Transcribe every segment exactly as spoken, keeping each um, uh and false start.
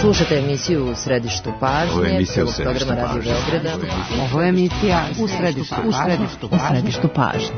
Slušate emisiju U središtu pažnje. Ovo je emisija U središtu programa Radio Beograda. Ovo je emisija U središtu pažnje.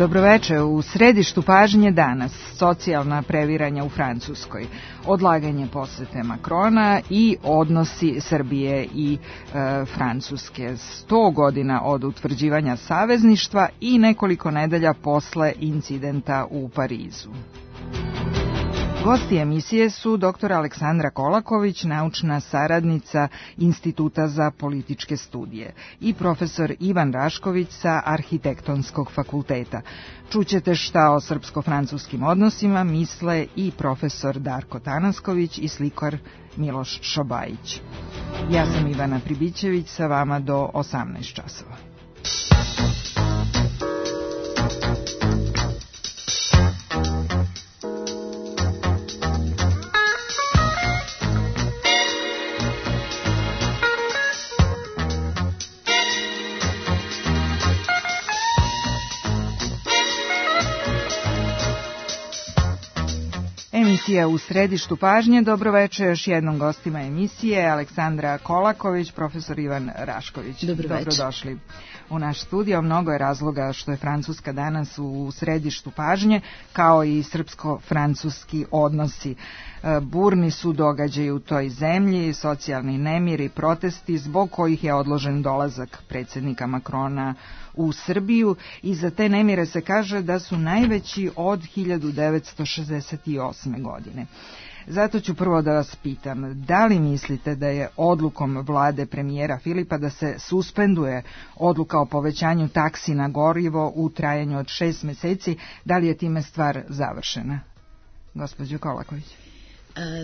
Dobroveče, u središtu pažnje danas socijalna previranja u Francuskoj, odlaganje posete Makrona i odnosi Srbije i e, Francuske, sto godina od utvrđivanja savezništva i nekoliko nedelja posle incidenta u Parizu. Gosti emisije su doktor Aleksandra Kolaković, naučna saradnica Instituta za političke studije, i profesor Ivan Rašković sa Arhitektonskog fakulteta. Čućete šta o srpsko-francuskim odnosima misle i profesor Darko Tanasković i slikar Miloš Šobajić. Ja sam Ivana Pribićević, sa vama do osamnaest časova. Emisija U središtu pažnje. Dobroveče još jednom gostima emisije, Aleksandra Kolaković, profesor Ivan Rašković. Dobrodošli u naš studio. Mnogo je razloga što je Francuska danas u središtu pažnje, kao i srpsko-francuski odnosi. Burni su događaji u toj zemlji, socijalni nemiri, protesti zbog kojih je odložen dolazak predsjednika Makrona u Srbiju, i za te nemire se kaže da su najveći od hiljadu devetsto šezdeset osme. godine. Zato ću prvo da vas pitam, da li mislite da je odlukom vlade premijera Filipa da se suspenduje odluka o povećanju taksi na gorivo u trajanju od šest meseci, da li je time stvar završena? Gospođo Kolaković.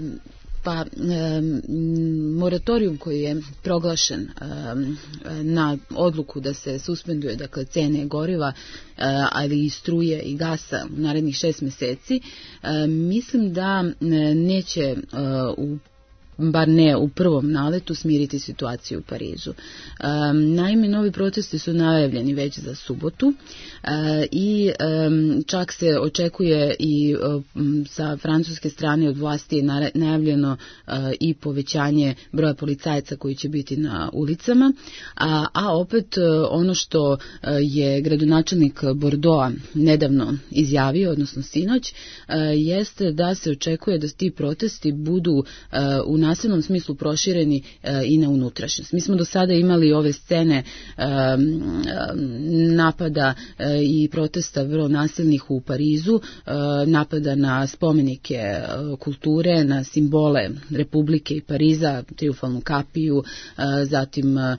Um. Pa, moratorijum koji je proglašen na odluku da se suspenduje, dakle, cene goriva, ali i struje i gasa u narednih šest meseci, mislim da neće u bar ne u prvom naletu, smiriti situaciju u Parizu. Um, naime, novi protesti su najavljeni već za subotu uh, i um, čak se očekuje i um, sa francuske strane od vlasti je najavljeno uh, i povećanje broja policajaca koji će biti na ulicama, a, a opet uh, ono što uh, je gradonačelnik Bordeauxa nedavno izjavio, odnosno sinoć, uh, jeste da se očekuje da ti protesti budu uh, u nasilnom smislu prošireni e, i na unutrašnjost. Mi smo do sada imali ove scene e, napada e, i protesta vrlo nasilnih u Parizu, e, napada na spomenike e, kulture, na simbole Republike i Pariza, Trijumfalnu kapiju, e, zatim e,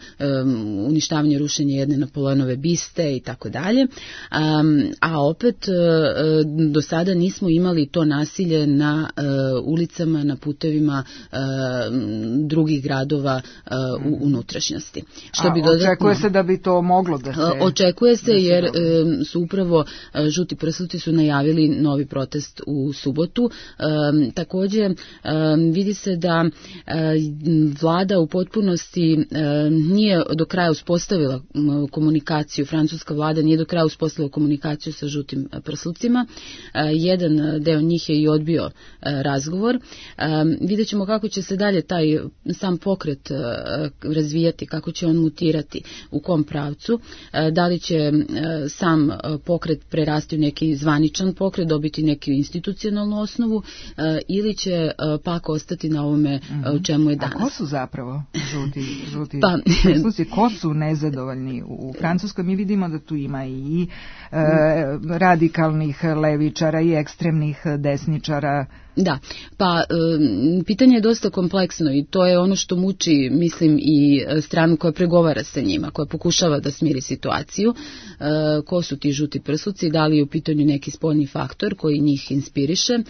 uništavanje, rušenje jedne Napoleonove biste i tako dalje. A opet e, do sada nismo imali to nasilje na e, ulicama, na putevima e, drugih gradova uh, u unutrašnjosti. Što A, bi dodatno, očekuje se da bi to moglo da se... Očekuje se, da se jer um, su upravo uh, žuti prsluci su najavili novi protest u subotu. Um, također um, vidi se da uh, vlada u potpunosti uh, nije do kraja uspostavila um, komunikaciju, francuska vlada nije do kraja uspostavila komunikaciju sa žutim prslucima. Uh, jedan deo njih je i odbio uh, razgovor. Um, vidjet ćemo kako će se dalje taj sam pokret razvijati, kako će on mutirati, u kom pravcu, da li će sam pokret prerasti u neki zvaničan pokret, dobiti neku institucionalnu osnovu, ili će pak ostati na ovome u čemu je danas. A ko su zapravo žuti, žuti pa, presluci? Ko su nezadovoljni? U Francuskoj mi vidimo da tu ima i e, radikalnih levičara i ekstremnih desničara. Da, pa e, pitanje je dosta kompleksno i to je ono što muči, mislim, i stranu koja pregovara sa njima, koja pokušava da smiri situaciju. E, ko su ti žuti prsluci, da li je u pitanju neki spoljni faktor koji njih inspiriše, e,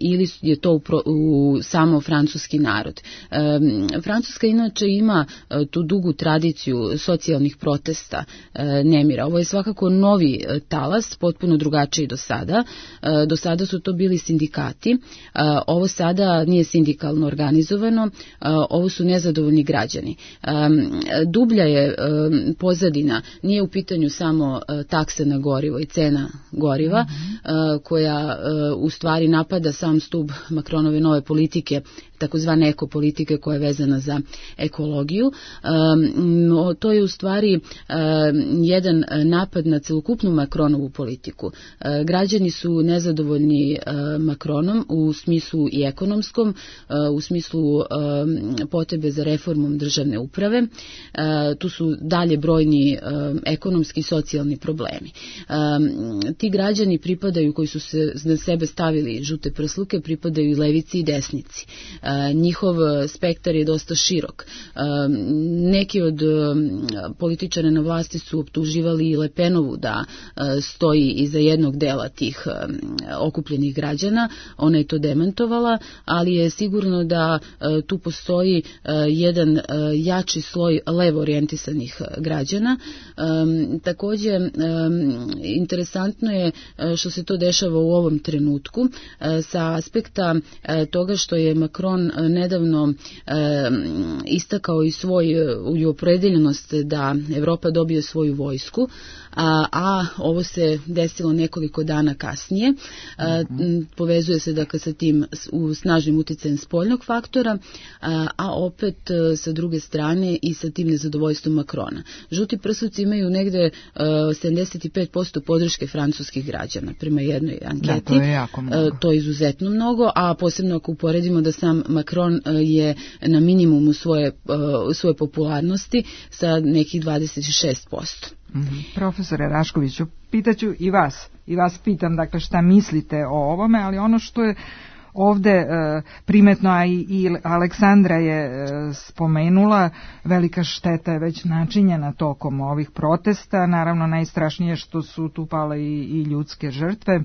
ili je to u, pro, u samo francuski narod. E, Francuska inače ima e, tu dugu tradiciju socijalnih protesta, e, nemira. Ovo je svakako novi e, talas, potpuno drugačiji do sada. E, do sada su to bili sindikati. Ovo sada nije sindikalno organizovano, ovo su nezadovoljni građani. Dublja je pozadina, nije u pitanju samo taksa na gorivo i cena goriva, mm-hmm. koja u stvari napada sam stub Macronove nove politike, takozvane ekopolitike koja je vezana za ekologiju. Um, to je u stvari um, jedan napad na celokupnu Macronovu politiku. Uh, građani su nezadovoljni uh, Macronom u smislu i ekonomskom, uh, u smislu um, potrebe za reformom državne uprave. Uh, tu su dalje brojni um, ekonomski i socijalni problemi. Um, ti građani pripadaju, koji su se na sebe stavili žute prsluke, pripadaju i levici i desnici. Uh, njihov spektar je dosta širok. Neki od političara na vlasti su optuživali i Le Penovu da stoji iza jednog dela tih okupljenih građana. Ona je to demantovala, ali je sigurno da tu postoji jedan jači sloj levo orijentisanih građana. Također, interesantno je što se to dešava u ovom trenutku sa aspekta toga što je Macron nedavno e, istakao i svoju opredeljenost da Evropa dobije svoju vojsku, a, a ovo se desilo nekoliko dana kasnije. A, povezuje se dakle sa tim u snažnim utjecajem spoljnog faktora, a, a opet sa druge strane i sa tim nezadovoljstvom Macrona. Žuti prsluci imaju negde a, sedamdeset pet posto podrške francuskih građana prema jednoj anketi. Da, to je jako mnogo. A, to je izuzetno mnogo, a posebno ako uporedimo da sam Macron je na minimumu svoje, svoje popularnosti sa nekih dvadeset šest posto. Mm-hmm. Profesore Raškoviću, pitaću i vas, i vas pitam, dakle, šta mislite o ovome, ali ono što je ovde e, primetno, a i, i Aleksandra je e, spomenula, velika šteta je već načinjena tokom ovih protesta, naravno najstrašnije što su tu pale i, i ljudske žrtve,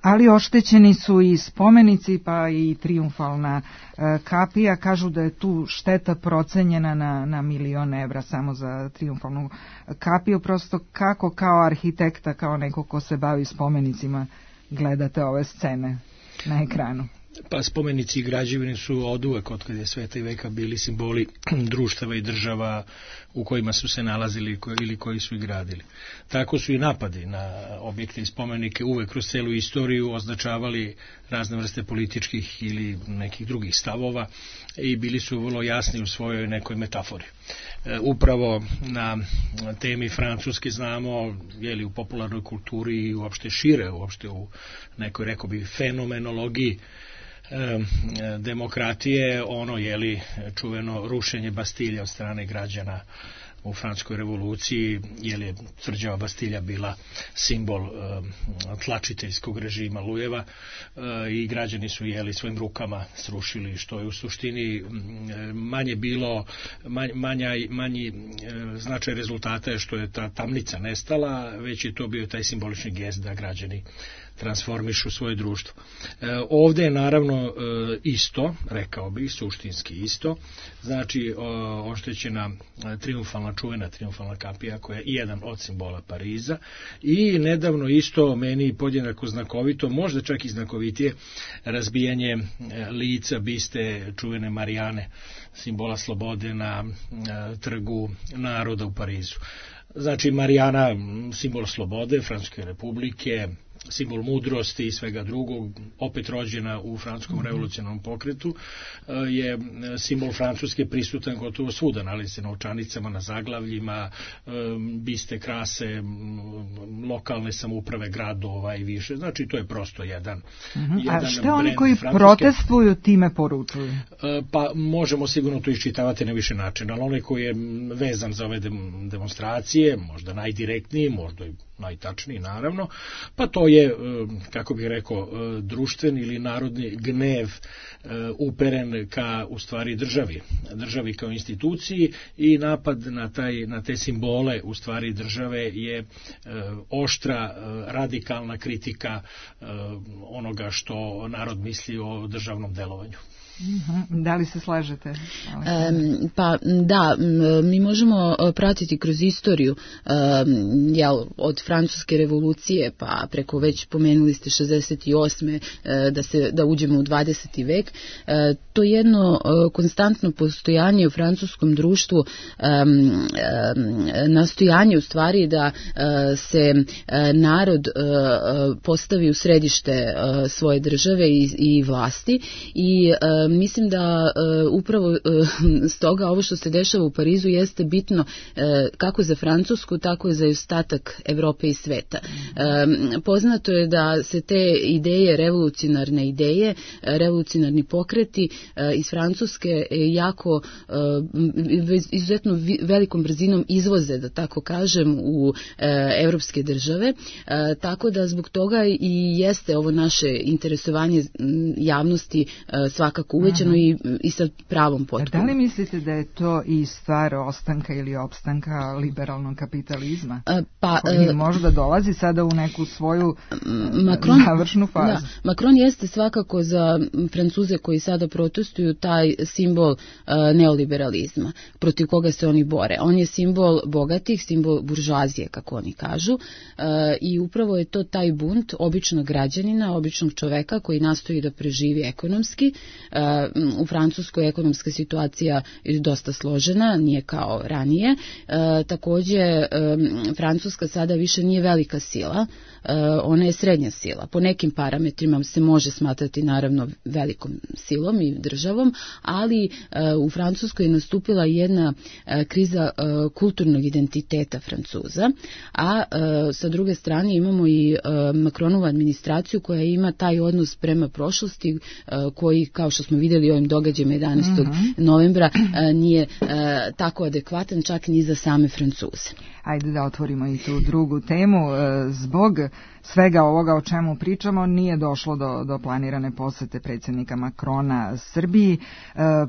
ali oštećeni su i spomenici, pa i trijumfalna e, kapija. Kažu da je tu šteta procenjena na, na milion evra samo za trijumfalnu kapiju. Prosto kako kao arhitekta, kao neko ko se bavi spomenicima, gledate ove scene na ekranu? Pa spomenici i građevine su oduvek, otkad je sveta i veka, bili simboli društava i država u kojima su se nalazili ili koji su ih gradili. Tako su i napadi na objekte i spomenike uvek kroz celu istoriju označavali razne vrste političkih ili nekih drugih stavova i bili su vrlo jasni u svojoj nekoj metafori. E, upravo na temi Francuske znamo, jeli, u popularnoj kulturi i uopšte šire, uopšte u nekoj, rekao bi, fenomenologiji demokratije, ono jeli čuveno rušenje Bastilje od strane građana u Francuskoj revoluciji, jer je tvrđava Bastilja bila simbol e, tlačiteljskog režima Lujeva e, i građani su jeli svojim rukama srušili, što je u suštini manje bilo manj, manja, manji e, značaj rezultata je što je ta tamnica nestala, već je to bio taj simbolični gest da građani transformišu svoje društvo. E, ovdje je naravno e, isto, rekao bih, suštinski isto, znači o, oštećena trijumfalna, čuvena trijumfalna kapija koja je jedan od simbola Pariza i nedavno isto meni podjednako znakovito, možda čak i znakovitije, razbijanje lica biste čuvene Marijane, simbola slobode na e, trgu naroda u Parizu. Znači Marijana, simbol slobode Francuske republike, simbol mudrosti i svega drugog, opet rođena u francuskom revolucionarnom pokretu, je simbol Francuske prisutan gotovo svuda, nalazi se na novčanicama, na zaglavljima, biste krase lokalne samouprave gradova i više, znači to je prosto jedan, uh-huh. jedan A šta oni brend koji Francuske protestuju time poručuju? Pa možemo sigurno to iščitavati na više načina, ali onaj koji je vezan za ove demonstracije, možda najdirektniji, možda i najtačniji naravno, pa to je, kako bih rekao, društveni ili narodni gnev uperen ka u stvari državi, državi kao instituciji, i napad na, taj, na te simbole u stvari države je oštra, radikalna kritika onoga što narod misli o državnom delovanju. Da li se slažete? E, pa da, mi možemo pratiti kroz istoriju, e, jel, od Francuske revolucije pa preko, već pomenuli ste šezdeset osme E, da, se, da uđemo u dvadeseti vek. E, to jedno e, konstantno postojanje u francuskom društvu, e, e, nastojanje u stvari da e, se e, narod e, postavi u središte e, svoje države i, i vlasti, i e, mislim da uh, upravo uh, stoga ovo što se dešava u Parizu jeste bitno uh, kako za Francusku, tako i za ostatak Evrope i sveta. Um, poznato je da se te ideje, revolucionarne ideje, revolucionarni pokreti uh, iz Francuske jako uh, izuzetno velikom brzinom izvoze, da tako kažem, u uh, evropske države, uh, tako da zbog toga i jeste ovo naše interesovanje javnosti uh, svakako uvećano i, i sa pravom potpuno. Da li mislite da je to i stvar ostanka ili opstanka liberalnog kapitalizma? A, pa, koji a, možda dolazi sada u neku svoju Macron, završnu fazu? Da, Macron jeste svakako za Francuze koji sada protestuju taj simbol a, neoliberalizma, protiv koga se oni bore. On je simbol bogatih, simbol buržoazije, kako oni kažu, a, i upravo je to taj bunt običnog građanina, običnog čoveka koji nastoji da preživi ekonomski. A, u Francuskoj ekonomska situacija je dosta složena, nije kao ranije. E, također, e, Francuska sada više nije velika sila, e, ona je srednja sila. Po nekim parametrima se može smatrati naravno velikom silom i državom, ali e, u Francuskoj je nastupila jedna e, kriza e, kulturnog identiteta Francuza, a e, sa druge strane imamo i e, Macronovu administraciju koja ima taj odnos prema prošlosti, e, koji, kao što smo vidjeli ovim događajima jedanaestog Mm-hmm. novembra, a, nije a, tako adekvatan čak ni za same Francuze. Ajde da otvorimo i tu drugu temu. Zbog svega ovoga o čemu pričamo nije došlo do, do planirane posete predsjednika Macrona Srbiji.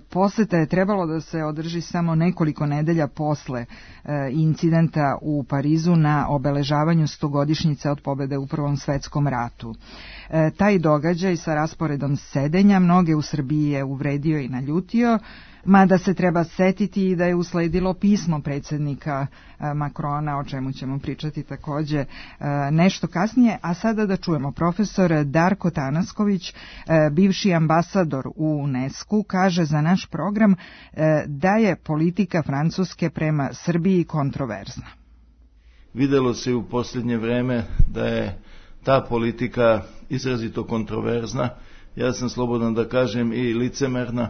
Poseta je trebalo da se održi samo nekoliko nedelja posle incidenta u Parizu na obeležavanju stogodišnjice od pobjede u Prvom svetskom ratu. Taj događaj sa rasporedom sedenja mnoge u Srbiji je uvredio i naljutio, mada se treba setiti i da je usledilo pismo predsjednika Macrona, o čemu ćemo pričati također nešto kasnije. A sada da čujemo, profesor Darko Tanasković, bivši ambasador u UNESCO, kaže za naš program da je politika Francuske prema Srbiji kontroverzna. Videlo se u posljednje vreme da je ta politika izrazito kontroverzna, ja sam slobodan da kažem i licemerna,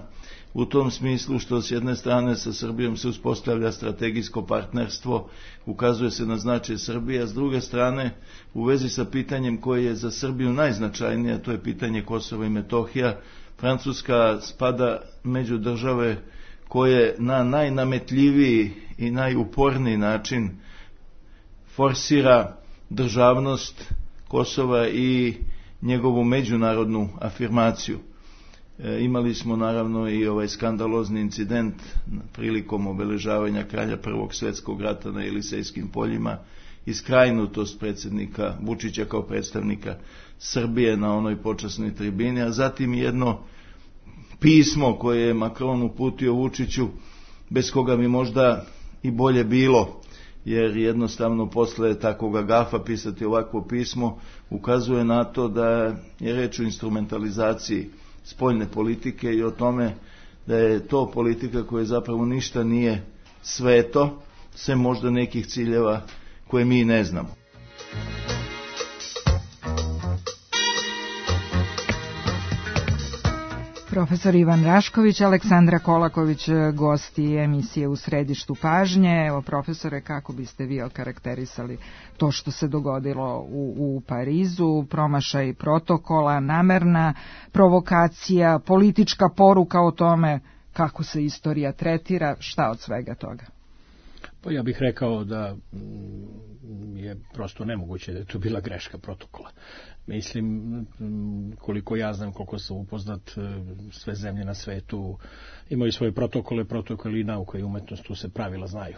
u tom smislu što s jedne strane sa Srbijom se uspostavlja strategijsko partnerstvo, ukazuje se na značaj Srbije, a s druge strane u vezi sa pitanjem koje je za Srbiju najznačajnije, to je pitanje Kosova i Metohija, Francuska spada među države koje na najnametljiviji i najuporniji način forsira državnost Kosova i njegovu međunarodnu afirmaciju. E, imali smo naravno i ovaj skandalozni incident prilikom obeležavanja kralja Prvog svjetskog rata na Elisejskim poljima i skrajnutost predsjednika Vučića kao predstavnika Srbije na onoj počasnoj tribini, a zatim jedno pismo koje je Macron uputio Vučiću, bez koga bi možda i bolje bilo, jer jednostavno posle takvog gafa pisati ovakvo pismo ukazuje na to da je reč o instrumentalizaciji spoljne politike i o tome da je to politika koja zapravo ništa nije sveto, sem možda nekih ciljeva koje mi ne znamo. Profesor Ivan Rašković, Aleksandra Kolaković, gosti emisije U središtu pažnje. Evo, profesore, kako biste vi okarakterisali to što se dogodilo u, u Parizu, promašaj protokola, namerna provokacija, politička poruka o tome kako se istorija tretira, šta od svega toga? Pa ja bih rekao da je prosto nemoguće da je to bila greška protokola. Mislim, koliko ja znam, koliko sam upoznat, sve zemlje na svetu imaju svoje protokole, protokoli i nauka i umetnost, tu se pravila znaju.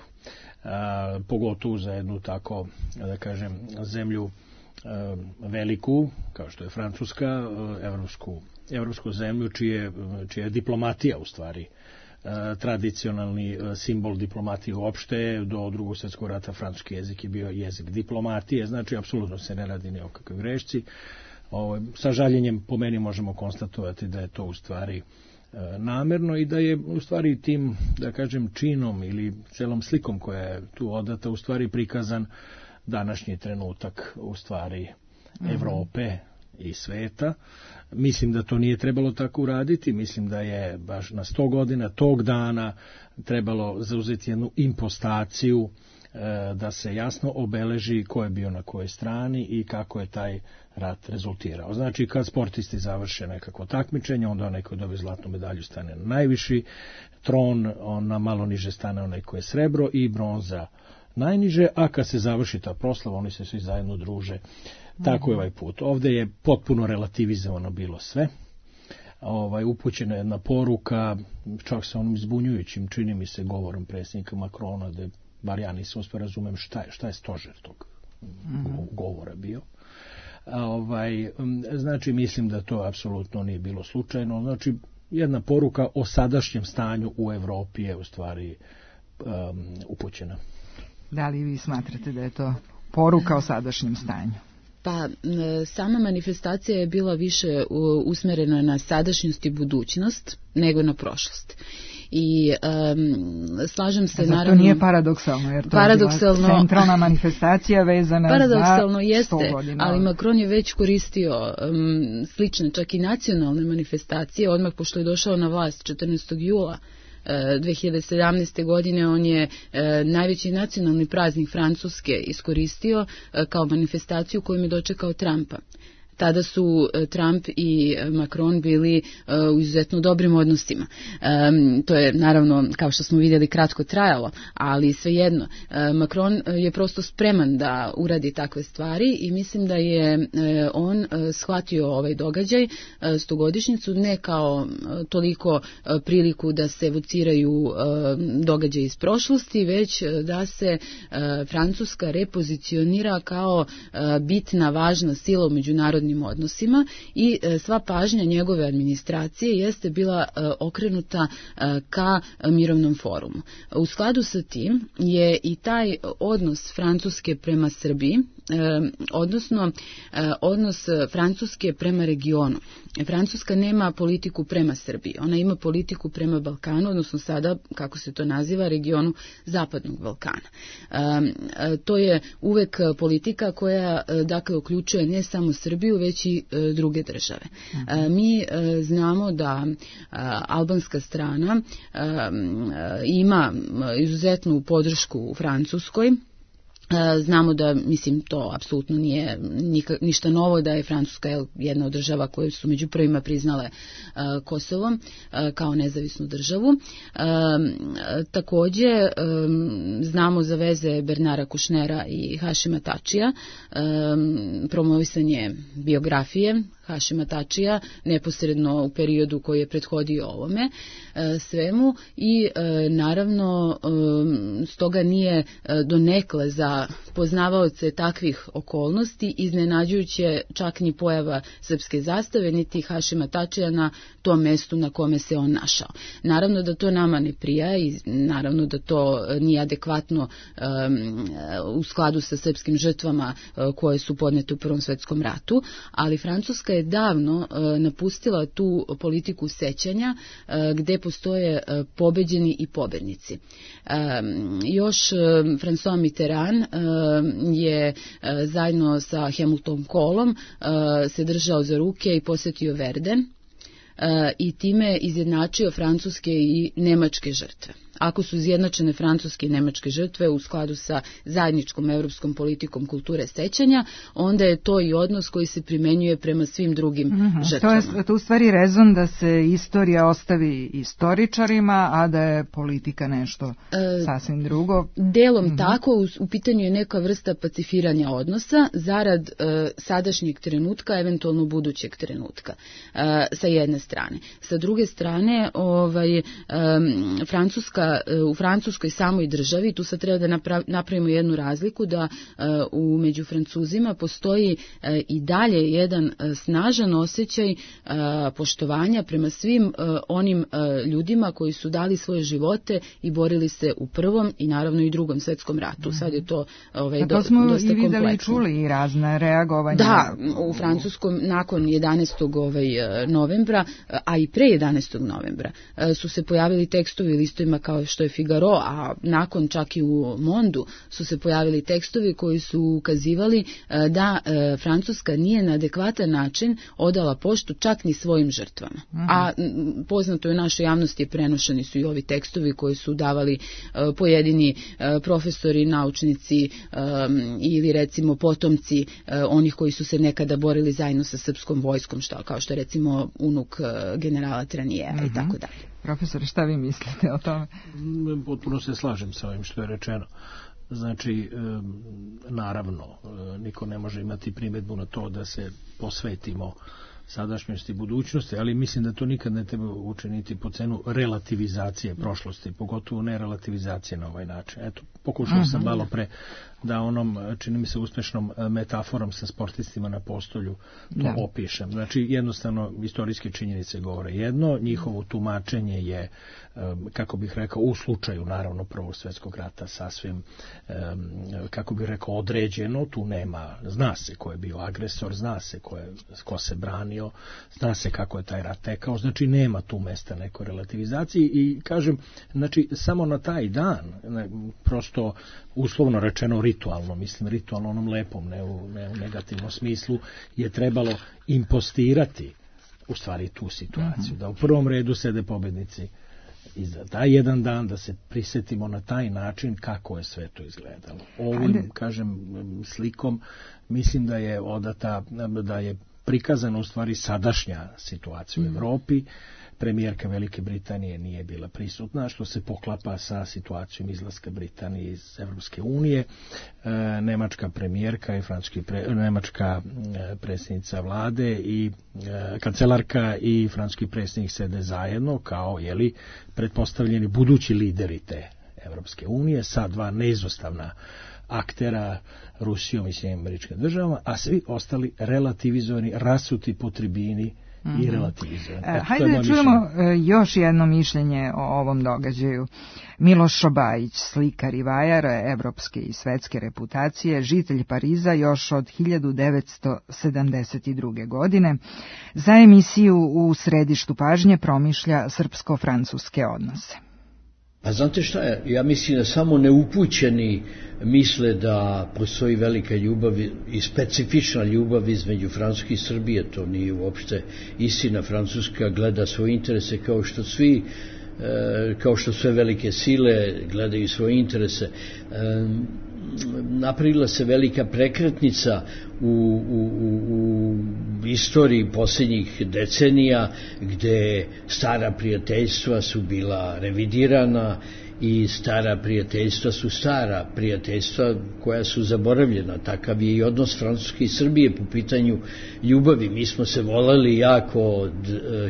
A, pogotovo za jednu tako, da kažem, zemlju a, veliku, kao što je Francuska, evropsku, evropsku zemlju, čije, čija je diplomatija u stvari tradicionalni simbol diplomatije uopšte. Do drugog svjetskog rata francuski jezik je bio jezik diplomatije, znači apsolutno se ne radi ni o kakvoj grešci. Ovo, sa žaljenjem po meni možemo konstatovati da je to u stvari namerno i da je u stvari tim, da kažem, činom ili celom slikom koja je tu odata u stvari prikazan današnji trenutak u stvari Evrope i sveta. Mislim da to nije trebalo tako uraditi, mislim da je baš na sto godina tog dana trebalo zauzeti jednu impostaciju, da se jasno obeleži ko je bio na kojoj strani i kako je taj rat rezultirao. Znači, kad sportisti završe nekako takmičenje, onda onaj koji dobije zlatnu medalju stane na najviši tron, on na malo niže stane onaj koji je srebro i bronza najniže, a kad se završi ta proslava, oni se svi zajedno druže. Tako je ovaj put. Ovdje je potpuno relativizovano bilo sve. Ovaj, upućena jedna poruka, čak sa onom izbunjujućim, čini mi se, govorom predsjednika Macrona, da bar ja nisam uspio razumem šta je, šta je stožer tog mm-hmm. govora bio. A, ovaj, znači, mislim da to apsolutno nije bilo slučajno. Znači, jedna poruka o sadašnjem stanju u Evropi je u stvari um, upućena. Da li vi smatrate da je to poruka o sadašnjem stanju? Pa sama manifestacija je bila više usmjerena na sadašnjost i budućnost nego na prošlost. I um, slažem se, zato naravno... to nije paradoksalno, jer to paradoksalno, je bila centralna manifestacija vezana paradoksalno za jeste, sto godina. Ali Macron je već koristio um, slične, čak i nacionalne manifestacije, odmah pošto je došao na vlast četrnaestog jula dve hiljade sedamnaeste. godine. On je e, najveći nacionalni praznik Francuske iskoristio e, kao manifestaciju kojom je dočekao Trumpa. Tada su Trump i Macron bili u izuzetno dobrim odnosima. To je naravno, kao što smo vidjeli, kratko trajalo, ali svejedno. Macron je prosto spreman da uradi takve stvari i mislim da je on shvatio ovaj događaj, stogodišnjicu, ne kao toliko priliku da se evociraju događaje iz prošlosti, već da se Francuska repozicionira kao bitna, važna sila u međunarodnim odnosima i sva pažnja njegove administracije jeste bila okrenuta ka mirovnom forumu. U skladu sa tim je i taj odnos Francuske prema Srbiji, odnosno odnos Francuske prema regionu. Francuska nema politiku prema Srbiji, ona ima politiku prema Balkanu, odnosno sada, kako se to naziva, regionu Zapadnog Balkana. To je uvek politika koja, dakle, uključuje ne samo Srbiju, već i druge države. Mi znamo da albanska strana ima izuzetnu podršku u Francuskoj. Znamo da, mislim, to apsolutno nije nika, ništa novo, da je Francuska jedna od država koje su među prvima priznale uh, Kosovo uh, kao nezavisnu državu. Uh, također um, znamo za veze Bernara Kušnera i Hašima Tačija, um, promovisanje biografije Hašima Tačija neposredno u periodu koji je prethodio ovome e, svemu i e, naravno e, stoga nije e, donekle za poznavaoce takvih okolnosti iznenađujuće čak ni pojava srpske zastave niti Hašima Tačija na tom mestu na kome se on našao. Naravno da to nama ne prija i naravno da to nije adekvatno e, u skladu sa srpskim žrtvama e, koje su podnete u Prvom svjetskom ratu, ali Francuska je davno e, napustila tu politiku sećanja e, gde postoje e, pobeđeni i pobednici. E, još e, François Mitterrand e, je e, zajedno sa Helmutom Kohlom e, se držao za ruke i posjetio Verden. i time izjednačio francuske i nemačke žrtve. Ako su izjednačene francuske i nemačke žrtve u skladu sa zajedničkom europskom politikom kulture sećanja, onda je to i odnos koji se primenjuje prema svim drugim mm-hmm. žrtvama. To je to u stvari rezon da se istorija ostavi istoričarima, a da je politika nešto e, sasvim drugo. Delom mm-hmm. tako, u, u pitanju je neka vrsta pacifiranja odnosa zarad e, sadašnjeg trenutka, eventualno budućeg trenutka, e, sa jedne strane. Sa druge strane, ovaj, e, Francuska u Francuskoj samoj državi, tu sad treba da napravimo jednu razliku, da u među Francuzima postoji i dalje jedan snažan osjećaj poštovanja prema svim onim ljudima koji su dali svoje živote i borili se u prvom i naravno i drugom svetskom ratu. Sad je to ovaj, do, dosta kompleksno. To smo i videli i čuli i razne reagovanja. Da, u Francuskom nakon jedanaestog Ovaj, novembra, a i pre jedanaestog novembra su se pojavili tekstovi u listovima kao što je Figaro, a nakon čak i u Mondu su se pojavili tekstovi koji su ukazivali da Francuska nije na adekvatan način odala poštu čak ni svojim žrtvama. Aha. A poznato je u našoj javnosti, prenošeni su i ovi tekstovi koji su davali pojedini profesori, naučnici ili recimo potomci onih koji su se nekada borili zajedno sa srpskom vojskom, što, kao što je recimo unuk generala Tranijeva i tako dalje. Profesor, šta vi mislite o tome? Potpuno se slažem sa ovim što je rečeno. Znači, naravno, niko ne može imati primjedbu na to da se posvetimo sadašnjosti i budućnosti, ali mislim da to nikad ne treba učiniti po cenu relativizacije prošlosti, pogotovo ne relativizacije na ovaj način. Eto, pokušao uh-huh. sam malo pre da onom, čini mi se, uspešnom metaforom sa sportistima na postolju to da. opišem. Znači, jednostavno, istorijske činjenice govore jedno, njihovo tumačenje je, kako bih rekao, u slučaju, naravno, Prvog svjetskog rata sasvim, kako bih rekao, određeno, tu nema, zna se ko je bio agresor, zna se ko, je, ko se branio, zna se kako je taj rat tekao, znači nema tu mesta nekoj relativizaciji i, kažem, znači, samo na taj dan, prosto, uslovno rečeno, ritualno, mislim ritualno onom lepom, ne u, ne u negativnom smislu, je trebalo impostirati u stvari tu situaciju, da u prvom redu sede pobednici i za taj jedan dan da se prisjetimo na taj način kako je sve to izgledalo. Ovim, kažem, slikom mislim da je odata, da je prikazana u stvari sadašnja situacija u Evropi. Premijerka Velike Britanije nije bila prisutna, što se poklapa sa situacijom izlaska Britanije iz Evropske unije. E, nemačka premijerka i francuski pre, nemačka e, predsjednica vlade i e, kancelarka i francuski predsjednik sede zajedno kao, jeli, pretpostavljeni budući lideri te Evropske unije sa dva neizostavna aktera, Rusijom i Sjedinjenim Američkim Državama, a svi ostali relativizovani, rasuti po tribini i relativizovani. E, hajde da čujemo mišljenje. Još jedno mišljenje o ovom događaju. Miloš Šobajić, slikar i vajar evropske i svetske reputacije, žitelj Pariza još od hiljadu devetsto sedamdeset druge. godine, za emisiju U središtu pažnje promišlja srpsko-francuske odnose. Pa znate šta je, ja mislim da samo neupućeni misle da postoji velika ljubav i specifična ljubav između Francuske i Srbije, to nije uopšte istina. Francuska gleda svoje interese kao što svi, kao što sve velike sile gledaju svoje interese. Napravila se velika prekretnica u, u, u istoriji posljednjih decenija, gde stara prijateljstva su bila revidirana i stara prijateljstva su stara prijateljstva koja su zaboravljena. Takav je i odnos Francuske i Srbije po pitanju ljubavi. Mi smo se voleli jako od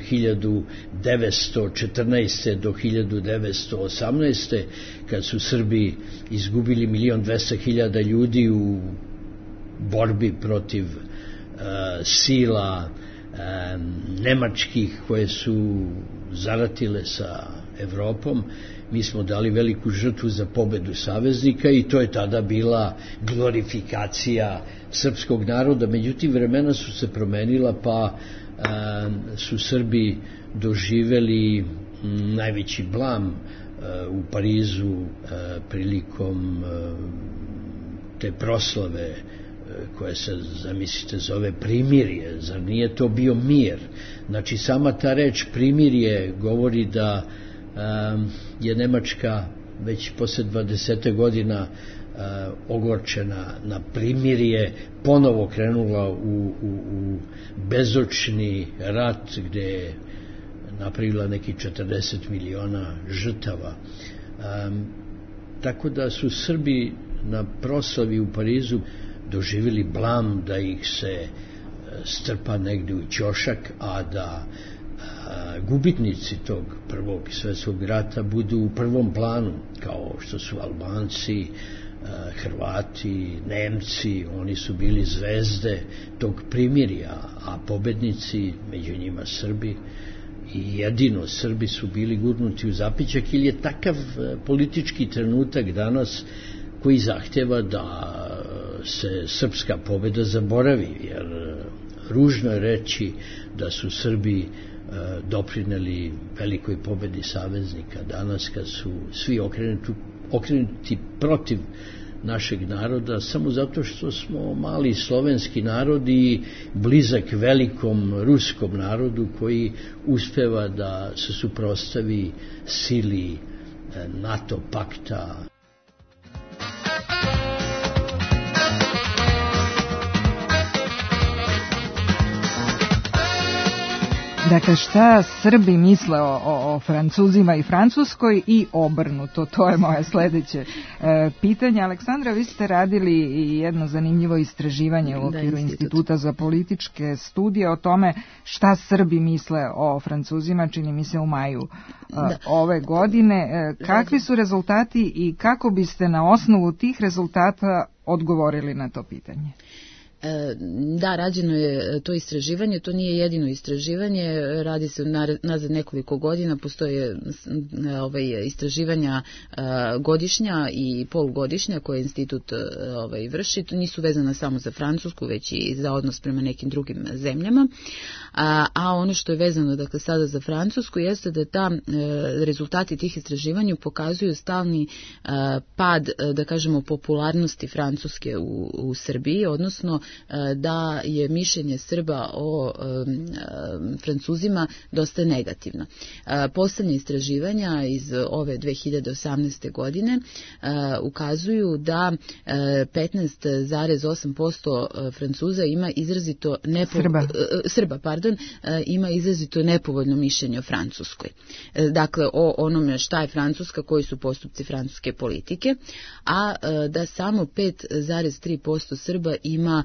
hiljadu devetsto četrnaeste. do hiljadu devetsto osamnaeste. kad su Srbi izgubili milion dvesta hiljada ljudi u borbi protiv uh, sila uh, nemačkih koje su zaratile sa Evropom. Mi smo dali veliku žrtvu za pobedu saveznika i to je tada bila glorifikacija srpskog naroda. Međutim, vremena su se promenila, pa e, su Srbi doživeli m, najveći blam e, u Parizu e, prilikom e, te proslave e, koja se, zamislite, zove primirje, zar nije to bio mir? Znači, sama ta reč primirje govori da um, je Nemačka već posle dvadeset godina uh, ogorčena na primirje, ponovo krenula u, u, u bezočni rat gde je napravila neki četrdeset miliona žrtava. Um, tako da su Srbi na proslavi u Parizu doživjeli blam da ih se strpa negdje u ćošak, a da a, gubitnici tog prvog svjetskog rata budu u prvom planu, kao što su Albanci, a, Hrvati, Nemci. Oni su bili zvezde tog primirja, a pobednici, među njima Srbi, i jedino Srbi su bili gurnuti u zapićak, ili je takav politički trenutak danas koji zahtjeva da se srpska pobjeda zaboravi, jer ružno je reći da su Srbi doprineli velikoj pobjedi saveznika danas, kad su svi okrenuti, okrenuti protiv našeg naroda, samo zato što smo mali slovenski narod i blizak velikom ruskom narodu koji uspeva da se suprotstavi sili NATO pakta. Dakle, šta Srbi misle o, o, o Francuzima i Francuskoj i obrnuto, to je moje sledeće e, pitanje. Aleksandra, vi ste radili jedno zanimljivo istraživanje u okviru da, institut. Instituta za političke studije o tome šta Srbi misle o Francuzima, čini mi se u maju e, ove godine. E, kakvi su rezultati i kako biste na osnovu tih rezultata odgovorili na to pitanje? Da, rađeno je to istraživanje, to nije jedino istraživanje, radi se nazad nekoliko godina, postoje ovaj, istraživanja godišnja i polugodišnja koje institut ovaj, vrši, to nisu vezana samo za Francusku, već i za odnos prema nekim drugim zemljama, a, a ono što je vezano dakle sada za Francusku jeste da ta rezultati tih istraživanja pokazuju stalni pad, da kažemo, popularnosti Francuske u, u Srbiji, odnosno da je mišljenje Srba o um, Francuzima dosta negativno. Poslednje istraživanja iz ove dve hiljade osamnaeste. godine uh, ukazuju da uh, petnaest zarez osam posto Francuza ima izrazito nepo... Srba, uh, Srba pardon, uh, ima izrazito nepovoljno mišljenje o Francuskoj. Uh, dakle, o onome šta je Francuska, koji su postupci francuske politike, a uh, da samo pet zarez tri posto Srba ima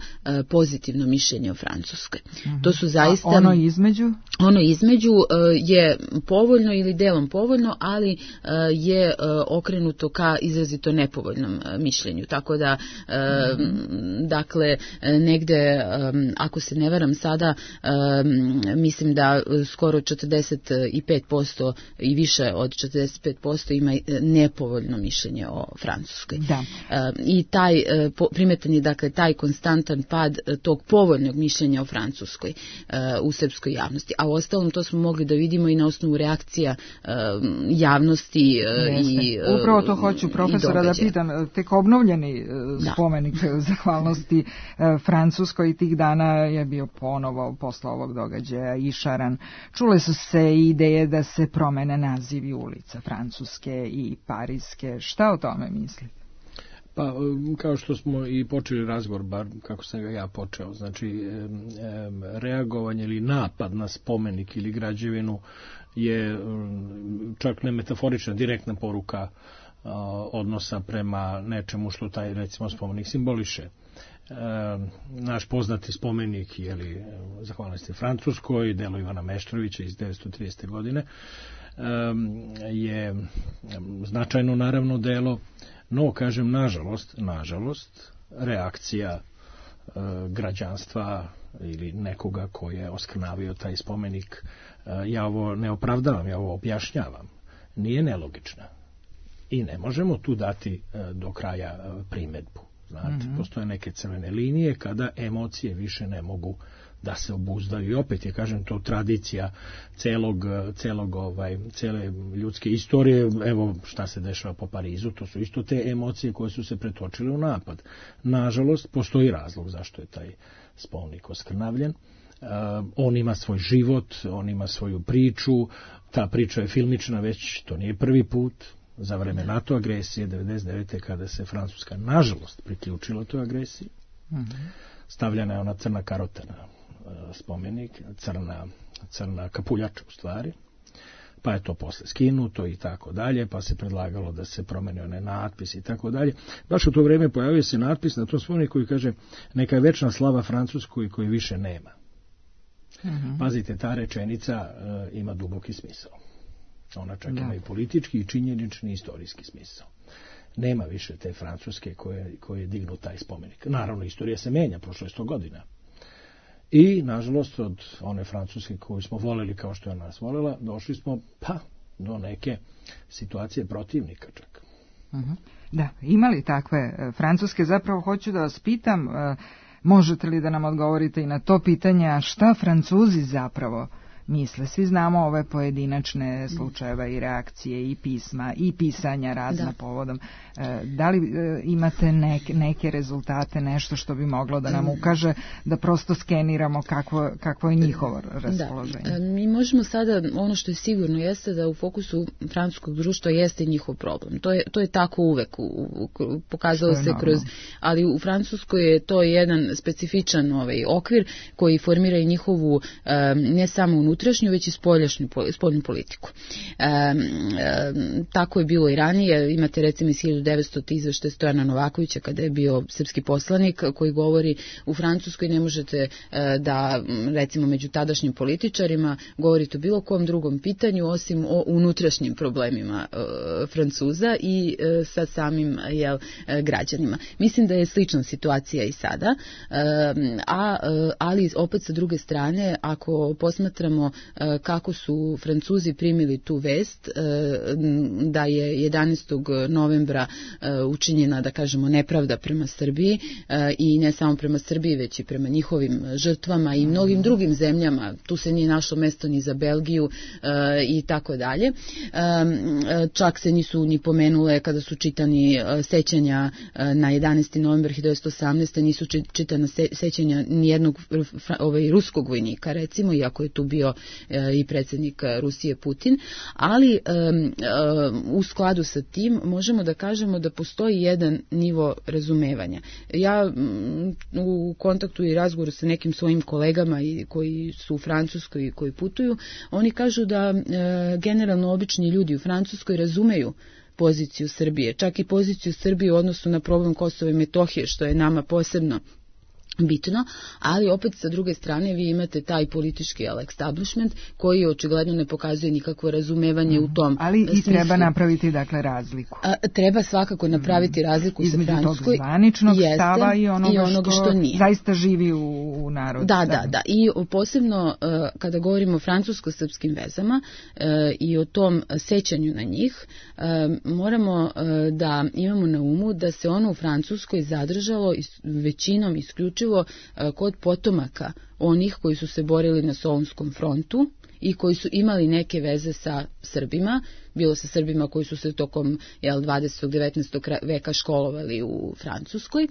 pozitivno mišljenje o Francuskoj. Mm-hmm. To su zaista... A ono između? Ono između uh, je povoljno ili delom povoljno, ali uh, je uh, okrenuto ka izrazito nepovoljnom uh, mišljenju. Tako da, uh, mm-hmm. dakle, negde, um, ako se ne varam sada, um, mislim da skoro četrdeset pet posto i više od četrdeset pet posto ima nepovoljno mišljenje o Francuskoj. Da. Uh, I taj, uh, po, primetan je, dakle, taj konstantan pad tog povoljnog mišljenja o Francuskoj uh, u srpskoj javnosti. A u ostalom to smo mogli da vidimo i na osnovu reakcija uh, javnosti uh, i uh, upravo to hoću profesora da pitam. Tek obnovljeni uh, spomenik da. zahvalnosti uh, Francuskoj tih dana je bio ponovo posle ovog događaja išaran. Čule su se ideje da se promene nazivi ulica Francuske i Pariske. Šta o tome mislite? Pa, kao što smo i počeli razgovor, bar kako sam ga ja počeo, znači reagovanje ili napad na spomenik ili građevinu je čak ne metaforična, direktna poruka odnosa prema nečemu što taj, recimo, spomenik simboliše. Naš poznati spomenik, jeli, zahvalnosti Francuskoj, delo Ivana Meštrovića iz devetsto tridesete. godine, je značajno naravno delo. No, kažem, nažalost, nažalost, reakcija e, građanstva ili nekoga ko je oskrnavio taj spomenik, e, ja ovo ne opravdavam, ja ovo objašnjavam, nije nelogična. I ne možemo tu dati e, do kraja e, primedbu. Znate, mm-hmm. postoje neke crvene linije kada emocije više ne mogu da se obuzdaju. I opet je, kažem, to tradicija celog, celog ovaj, cele ljudske istorije. Evo šta se dešava po Parizu, to su isto te emocije koje su se pretočile u napad. Nažalost, postoji razlog zašto je taj spomenik oskrnavljen. Uh, on ima svoj život, on ima svoju priču, ta priča je filmična već, to nije prvi put, za vreme NATO agresije devedeset devete kada se Francuska nažalost priključila toj agresiji. Mm-hmm. Stavljena je ona crna karota na uh, spomenik, crna, crna kapuljača u stvari, pa je to posle skinuto i tako dalje, pa se predlagalo da se promeni onaj natpis i tako dalje. Baš u to vreme pojavio se natpis na tom spomeniku koji kaže neka je večna slava Francuskoj koji više nema. Mm-hmm. Pazite, ta rečenica uh, ima duboki smisao. Ona čak da. Ima i politički, i činjenični, i istorijski smisao. Nema više te Francuske koje, koje dignu taj spomenik. Naravno, istorija se menja, prošlo je sto godina. I, nažalost, od one Francuske koju smo voljeli kao što je nas voljela, došli smo pa do neke situacije protivnika čak. Mm-hmm. Da, imali takve Francuske? Zapravo hoću da vas pitam, uh, možete li da nam odgovorite i na to pitanje, šta Francuzi zapravo misle? Svi znamo ove pojedinačne slučajeve i reakcije i pisma i pisanja razna da. Povodom. E, da li e, imate neke, neke rezultate, nešto što bi moglo da nam ukaže da prosto skeniramo kakvo, kakvo je njihovo raspoloženje? Da. Mi možemo sada, ono što je sigurno jeste da u fokusu francuskog društva jeste njihov problem. To je, to je tako uvek, u, u, pokazalo se normalno. Kroz, ali u Francuskoj je to jedan specifičan ovaj okvir koji formira i njihovu um, ne samo unutrašnju, već i spoljašnju, spoljnu politiku. E, e, tako je bilo i ranije. Imate recimo iz hiljadu devetstotog izveštaja Stojana Novakovića kada je bio srpski poslanik koji govori u Francuskoj ne možete e, da recimo među tadašnjim političarima govorite o bilo kom drugom pitanju osim o unutrašnjim problemima e, Francuza i e, sa samim jel, e, građanima. Mislim da je slična situacija i sada, e, a, ali opet sa druge strane ako posmatramo kako su Francuzi primili tu vest da je jedanaestog novembra učinjena, da kažemo, nepravda prema Srbiji i ne samo prema Srbiji, već i prema njihovim žrtvama i mnogim drugim zemljama. Tu se nije našlo mesto ni za Belgiju i tako dalje. Čak se nisu ni pomenule kada su čitani sećanja na jedanaesti novembar hiljadu devetsto osamnaeste. nisu čitana sećanja nijednog ovaj, ruskog vojnika, recimo, iako je tu bio i predsjednik Rusije Putin, ali um, um, u skladu sa tim možemo da kažemo da postoji jedan nivo razumevanja. Ja um, u kontaktu i razgovoru sa nekim svojim kolegama i koji su u Francuskoj i koji putuju, oni kažu da uh, generalno obični ljudi u Francuskoj razumeju poziciju Srbije, čak i poziciju Srbije u odnosu na problem Kosova i Metohije, što je nama posebno bitno, ali opet sa druge strane vi imate taj politički establishment koji očigledno ne pokazuje nikakvo razumevanje mm. u tom ali smislu. I treba napraviti dakle razliku. A, treba svakako napraviti razliku između sa Francuskoj. Između tog zvaničnog stava i onoga, i onoga što, što nije. Zaista živi u, u narodu. Da, da, da. I posebno uh, kada govorimo o francusko-srpskim vezama uh, i o tom sećanju na njih, uh, moramo uh, da imamo na umu da se ono u Francuskoj zadržalo is, većinom isključivo kod potomaka onih koji su se borili na Solunskom frontu i koji su imali neke veze sa Srbima, bilo sa Srbima koji su se tokom jel, dvadesetog devetnaestog veka školovali u Francuskoj,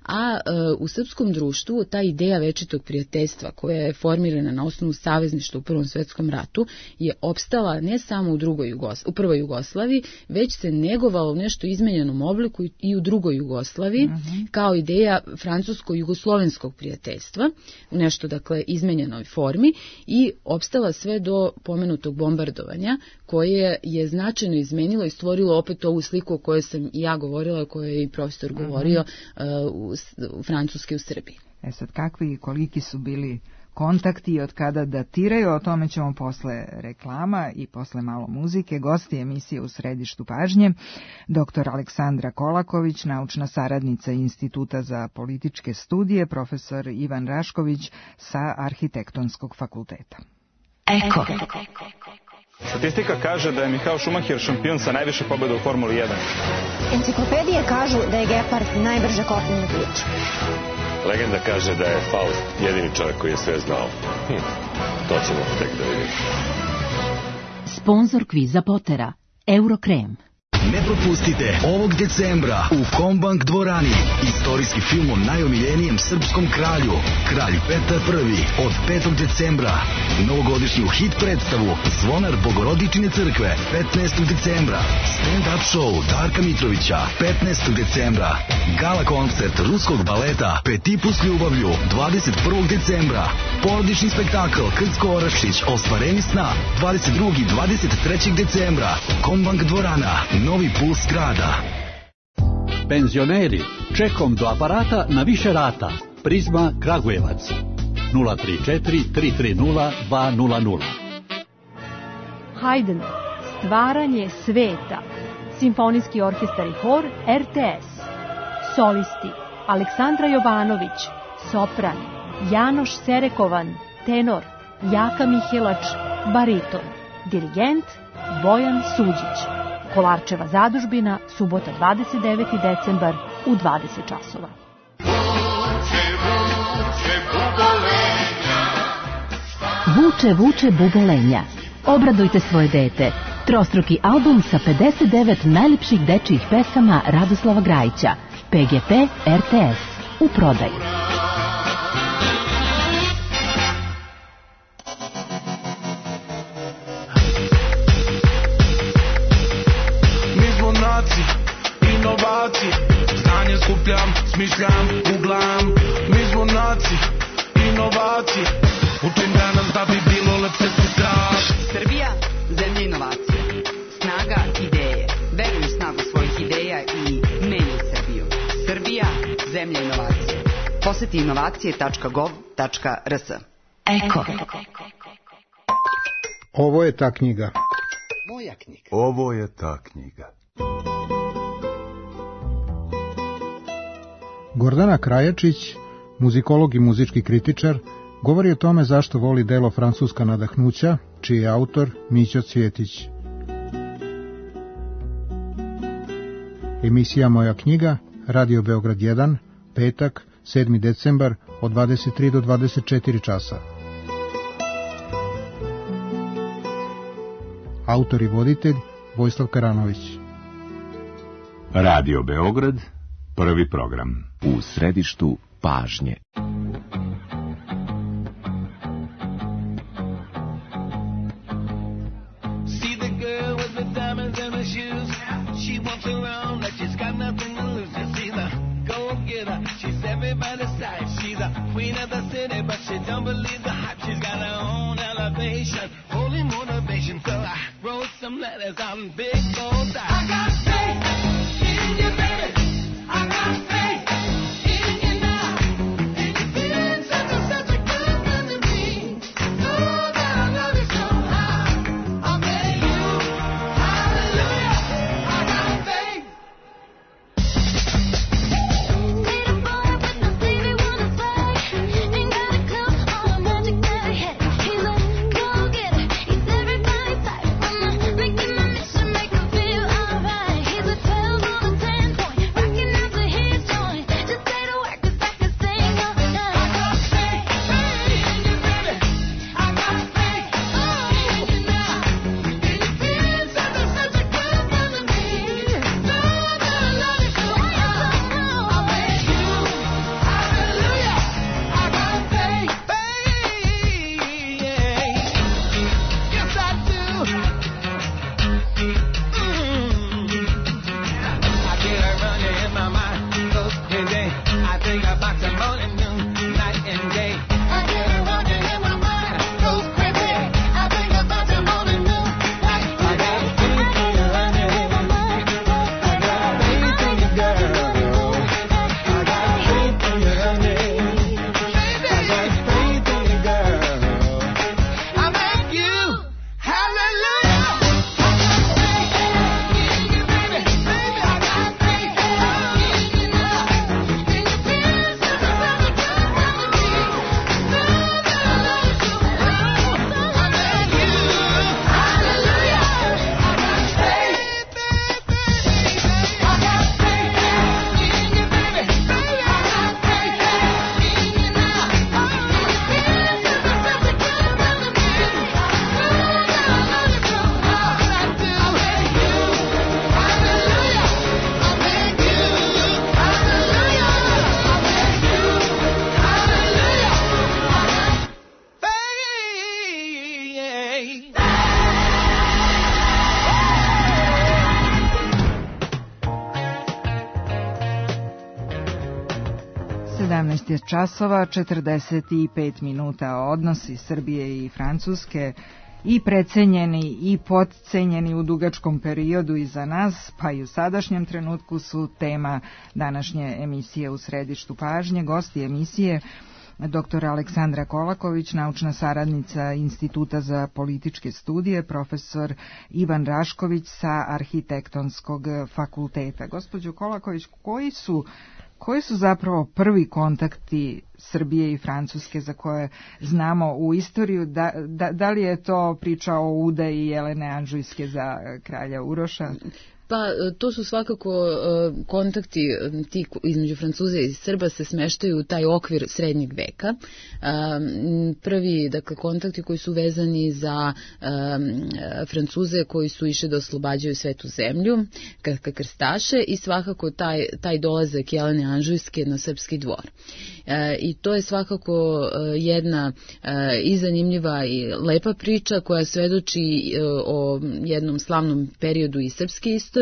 a e, u srpskom društvu ta ideja večitog prijateljstva koja je formirana na osnovu savezništva u Prvom svetskom ratu je opstala ne samo u, drugoj Jugos- u prvoj Jugoslaviji, već se negovalo u nešto izmenjenom obliku i u drugoj Jugoslaviji uh-huh. kao ideja francusko-jugoslovenskog prijateljstva, u nešto dakle izmenjenoj formi i opstala sve do pomenutog bombardovanja koje je značajno izmenilo i stvorilo opet ovu sliku o kojoj sam i ja govorila, o kojoj je i profesor uh-huh. govorio uh, u, u Francuske u Srbiji. E sad, kakvi i koliki su bili kontakti i od kada datiraju, o tome ćemo posle reklama i posle malo muzike. Gosti emisije U središtu pažnje, doktor Aleksandra Kolaković, naučna saradnica Instituta za političke studije, profesor Ivan Rašković sa Arhitektonskog fakulteta. Eko. Statistika kaže da je Michael Schumacher šampion sa najviše pobjeda u Formuli jedan. Enciklopedije kažu da je gepard najbrže kopnena bića. Legenda kaže da je Faust jedini čovjek koji je sve znao. Hm, to ćemo tek da vidimo. Sponzor kviza Potera, Eurokrem. Ne propustite ovog decembra u Kombank dvorani istorijski film o najomiljenijem srpskom kralju, Kralj Petar Prvi, od petog decembra. Novogodišnju hit predstavu Zvonar Bogorodičine crkve petnaestog decembra. Stand-up show Darka Mitrovića petnaestog decembra. Gala koncert ruskog baleta Petipu s ljubavlju dvadeset prvog decembra. Porodični spektakl Krcko Orašić Ostvarenje sna dvadeset drugog i dvadeset trećeg decembra. Kombank dvorana, Novi puls grada. Penzioneri, čekom do aparata na više rata. Prizma Kragujevac. nula tri četiri tri tri nula dva nula nula. Haydn, Stvaranje sveta. Simfonijski orkestar i hor R T S. Solisti Aleksandra Jovanović, sopran, Janoš Serekovan, tenor, Jaka Mihelač, bariton, dirigent Bojan Suđić. Kolarčeva zadužbina, subota dvadeset deveti decembar u dvadeset časova. Vuče, vuče bubolenja. Obradujte svoje dete. Trostruki album sa pedeset devet najlepših dečijih pesama Radoslava Grajića. P G P R T S. U prodaju. Inovacije, znanje skupljam, smišljam, googlam. Mi smo naci, inovacije. Učim danas da bi bilo lepše sutra. Srbija, zemlja inovacija. Snaga ideje. Veruj u snagu svojih ideja i menjaj Srbiju. Srbija, zemlja inovacije. Poseti inovacije tačka gov tačka r s. Eko. Ovo je ta knjiga. Moja knjiga. Ovo je ta knjiga. Gordana Krajačić, muzikolog i muzički kritičar, govori o tome zašto voli delo Francuska nadahnuća, čiji je autor Mićo Cvjetić. Emisija Moja knjiga, Radio Beograd jedan, petak, sedmi decembar, od dvadeset tri do dvadeset četiri časa. Autor i voditelj Vojislav Karanović. Radio Beograd, prvi program. U središtu pažnje. Make sedamnaest je časova, četrdeset pet minuta. Odnosi Srbije i Francuske i precenjeni i podcenjeni u dugačkom periodu iza nas, pa i u sadašnjem trenutku su tema današnje emisije U središtu pažnje. Gosti emisije doktor Aleksandra Kolaković, naučna saradnica Instituta za političke studije, profesor Ivan Rašković sa Arhitektonskog fakulteta. Gospođo Kolaković, koji su Koji su zapravo prvi kontakti Srbije i Francuske za koje znamo u istoriju? Da, da, da li je to priča o udaji Jelene Anžujske za kralja Uroša? Pa to su svakako kontakti ti između Francuza i Srba se smeštaju u taj okvir srednjeg veka. Prvi, dakle, kontakti koji su vezani za Francuze koji su išli da oslobađaju svetu zemlju, ka krstaše, i svakako taj, taj dolazak Jelene Anžujske na srpski dvor. I to je svakako jedna i zanimljiva i lepa priča koja svedoči o jednom slavnom periodu i srpske istorije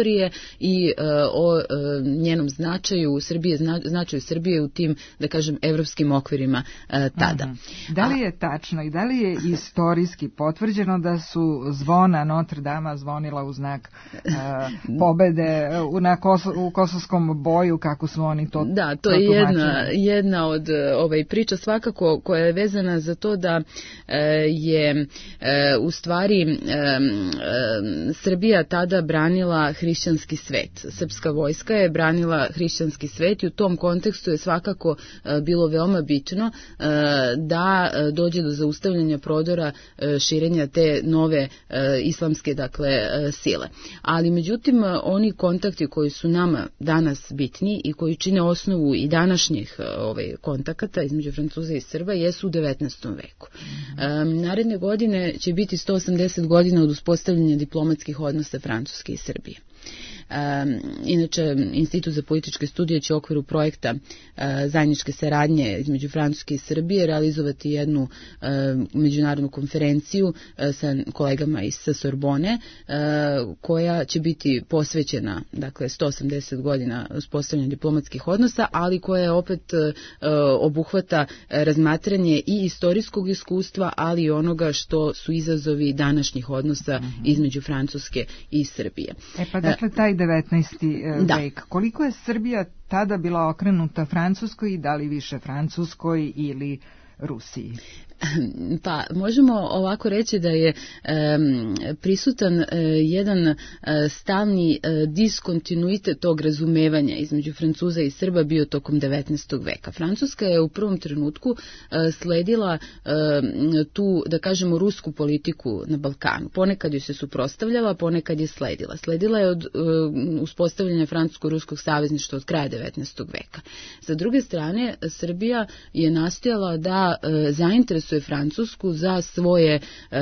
i uh, o uh, njenom značaju Srbije, zna, značaju Srbije u tim, da kažem, evropskim okvirima uh, tada. Aha. Da li je tačno i da li je istorijski potvrđeno da su zvona Notre Dama zvonila u znak uh, pobede uh, na Koso, u kosovskom boju, kako su oni to Da, to je jedna, jedna od ovaj, priča svakako koja je vezana za to da uh, je uh, u stvari um, um, Srbija tada branila hrišćanski svet. Srpska vojska je branila hrišćanski svet i u tom kontekstu je svakako uh, bilo veoma bitno uh, da uh, dođe do zaustavljanja prodora uh, širenja te nove uh, islamske, dakle, uh, sile. Ali međutim uh, oni kontakti koji su nama danas bitni i koji čine osnovu i današnjih uh, ovaj, kontakata između Francuza i Srba jesu u devetnaestom veku. Mm-hmm. Um, naredne godine će biti sto osamdeset godina od uspostavljanja diplomatskih odnosa Francuske i Srbije. Um, inače, Institut za političke studije će u okviru projekta uh, zajedničke saradnje između Francuske i Srbije realizovati jednu uh, međunarodnu konferenciju uh, sa kolegama iz sa Sorbone, uh, koja će biti posvećena, dakle, sto osamdeset godina uspostavljanja diplomatskih odnosa, ali koja je opet uh, obuhvata razmatranje i istorijskog iskustva, ali i onoga što su izazovi današnjih odnosa uh-huh. između Francuske i Srbije. E pa dakle, taj devetnaesti Da. vek. Koliko je Srbija tada bila okrenuta Francuskoj i da li više Francuskoj ili Rusiji? Pa možemo ovako reći da je um, prisutan uh, jedan uh, stalni uh, diskontinuitet tog razumevanja između Francuza i Srba bio tokom devetnaestog veka. Francuska je u prvom trenutku uh, sledila uh, tu, da kažemo, rusku politiku na Balkanu. Ponekad ju se suprotstavljala, ponekad je sledila. Sledila je od uh, uspostavljanja francusko-ruskog savezništva od kraja devetnaestog veka. Sa druge strane, Srbija je nastojala da uh, zainteresuje Francusku za svoje,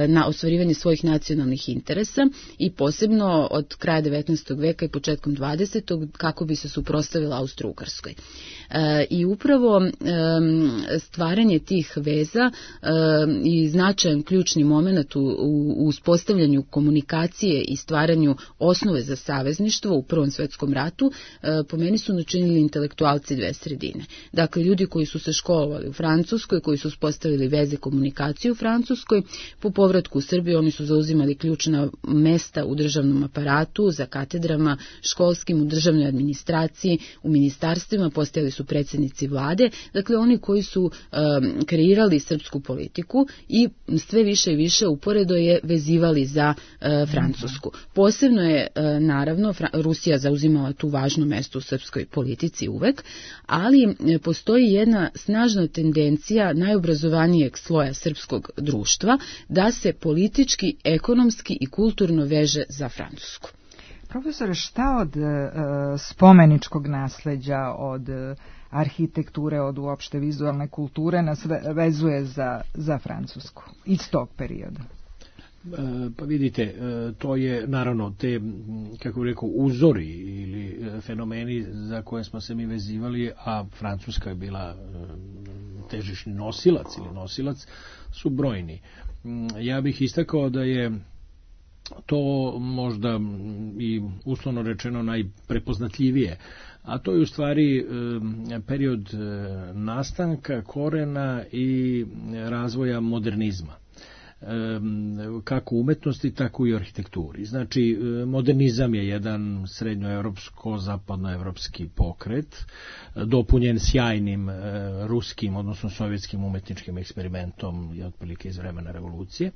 na ostvarivanje svojih nacionalnih interesa i posebno od kraja devetnaestog veka i početkom dvadesetog kako bi se suprotstavila Austro-Ugarskoj. I upravo stvaranje tih veza i značajan ključni moment u uspostavljanju komunikacije i stvaranju osnove za savezništvo u Prvom svetskom ratu po meni su načinili intelektualci dve sredine. Dakle, ljudi koji su se školovali u Francuskoj, koji su uspostavili veze komunikaciju u Francuskoj, po povratku u Srbiju oni su zauzimali ključna mesta u državnom aparatu, za katedrama, školskim, u državnoj administraciji, u ministarstvima, postojali su predsjednici vlade, dakle oni koji su um, kreirali srpsku politiku i sve više i više uporedo je vezivali za uh, Francusku. Posebno je, uh, naravno, Fra- Rusija zauzimala tu važno mesto u srpskoj politici uvek, ali uh, postoji jedna snažna tendencija najobrazovanijeg sloja srpskog društva da se politički, ekonomski i kulturno veže za Francusku. Profesore, šta od uh, spomeničkog nasleđa, od uh, arhitekture, od uopšte vizualne kulture nas vezuje za, za Francusku iz tog perioda? Pa vidite, to je naravno te, kako bih rekao, uzori ili fenomeni za koje smo se mi vezivali, a Francuska je bila težišni nosilac ili nosilac, su brojni. Ja bih istakao da je to možda i uslovno rečeno najprepoznatljivije, a to je u stvari period nastanka, korena i razvoja modernizma, kako u umetnosti, tako i u arhitekturi. Znači, modernizam je jedan srednjoevropsko-zapadnoevropski pokret, dopunjen sjajnim ruskim, odnosno sovjetskim umetničkim eksperimentom i otprilike iz vremena revolucije,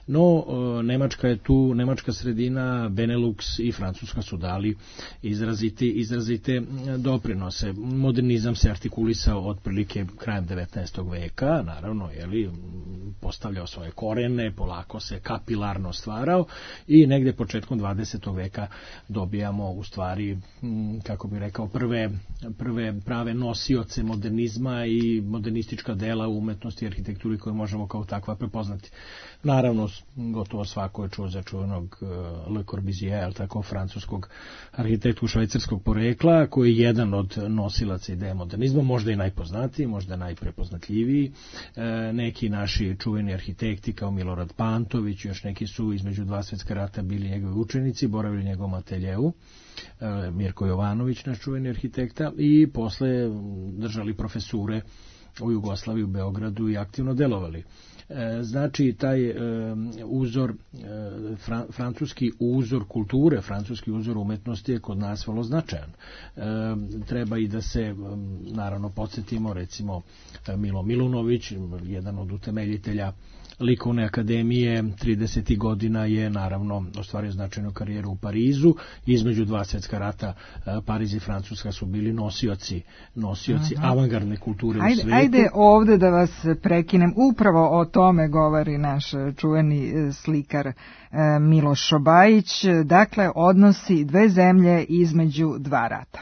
no Nemačka je tu, nemačka sredina, Benelux i Francuska su dali izrazite, izrazite doprinose. Modernizam se artikulisao otprilike krajem devetnaestog veka, naravno, jeli, postavljao svoje korene, polako se kapilarno stvarao i negde početkom dvadesetog veka dobijamo u stvari, kako bih rekao, prve, prve prave nosioce modernizma i modernistička dela u umetnosti i arhitekturi koje možemo kao takva prepoznati. Naravno, gotovo svako je čuo za čuvenog Le Corbusier, tako francuskog arhitektu švajcarskog porekla, koji je jedan od nosilaca ideje modernizma, možda i najpoznatiji, možda najprepoznatljiviji. Neki naši čuveni arhitekti kao Milorad Pantović, još neki su između dva svjetska rata bili njegovi učenici, boravili u njegovom ateljeu, Mirko Jovanović, naš čuveni arhitekta, i posle držali profesure u Jugoslaviji, u Beogradu i aktivno delovali. Znači, taj uzor, francuski uzor kulture, francuski uzor umetnosti je kod nas vrlo značajan. Treba i da se, naravno, podsjetimo, recimo, Milo Milunović, jedan od utemeljitelja Likovne akademije, tridesetih godina je naravno ostvario značajnu karijeru u Parizu. Između dva svjetska rata Pariz i Francuska su bili nosioci, nosioci uh-huh. avangardne kulture ajde, u svijetu. Ajde ovde da vas prekinem, upravo o tome govori naš čuveni slikar Miloš Šobajić, dakle odnosi dve zemlje između dva rata.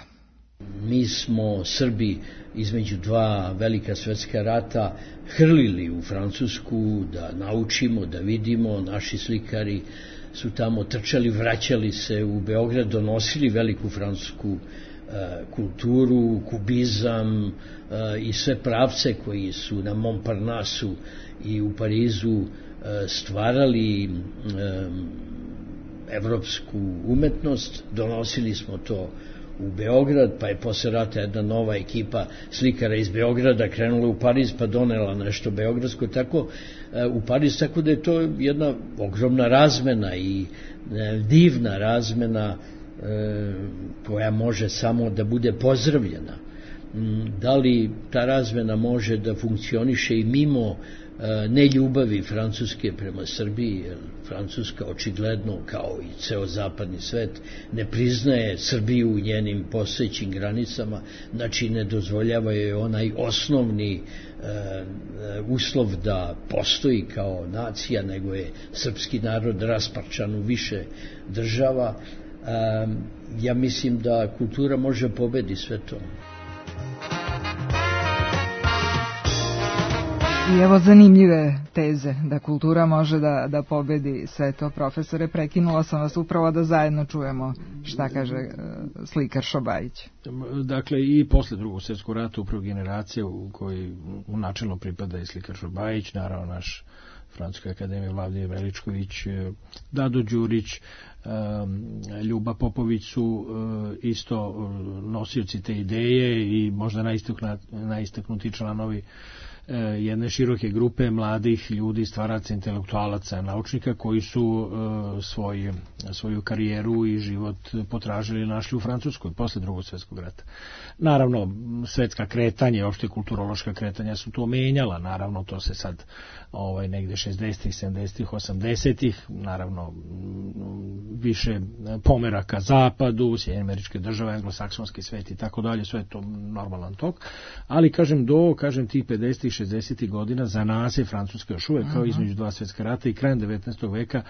Mi smo Srbi između dva velika svjetska rata hrlili u Francusku da naučimo, da vidimo. Naši slikari su tamo trčali, vraćali se u Beograd, donosili veliku francusku uh, kulturu, kubizam uh, i sve pravce koji su na Montparnasse i u Parizu uh, stvarali um, evropsku umetnost. Donosili smo to u Beograd, pa je posle rata jedna nova ekipa slikara iz Beograda krenula u Pariz, pa donela nešto beogradsko, tako u Pariz, tako da je to jedna ogromna razmena i divna razmena koja može samo da bude pozdravljena. Da li ta razmena može da funkcioniše i mimo neljubavi Francuske prema Srbiji, jer Francuska očigledno, kao i ceo zapadni svet, ne priznaje Srbiju u njenim postojećim granicama, znači ne dozvoljava joj onaj osnovni uh, uslov da postoji kao nacija, nego je srpski narod rasparčan u više država. Uh, ja mislim da kultura može pobedi sve to. I evo zanimljive teze da kultura može da, da pobedi sve to. Profesore, prekinula sam vas upravo da zajedno čujemo šta kaže uh, slikar Šobajić. Dakle, i posle drugog svjetskog rata upravo generacija u kojoj u načelno pripada i slikar Šobajić, naravno naš Francuska akademija Vladimir Veličković, Dado Đurić, Ljuba Popović su isto nosioci te ideje i možda najistaknutiji članovi jedne široke grupe mladih ljudi, stvaraca, intelektualaca, naučnika koji su uh, svoj, svoju karijeru i život potražili i našli u Francuskoj posle drugog svjetskog rata. Naravno, svetska kretanja i opšte kulturološka kretanja su to menjala, naravno to se sad ovaj, negde šezdesetih, sedamdesetih, osamdesetih, naravno više pomera ka zapadu, Sjedinjene Američke Države, anglosaksonski svet i tako dalje, sve je to normalan tok, ali kažem do, kažem tih pedesetih, šezdesetih godina za nas je Francuska još uvek kao između dva svjetska rata i krajem devetnaestog veka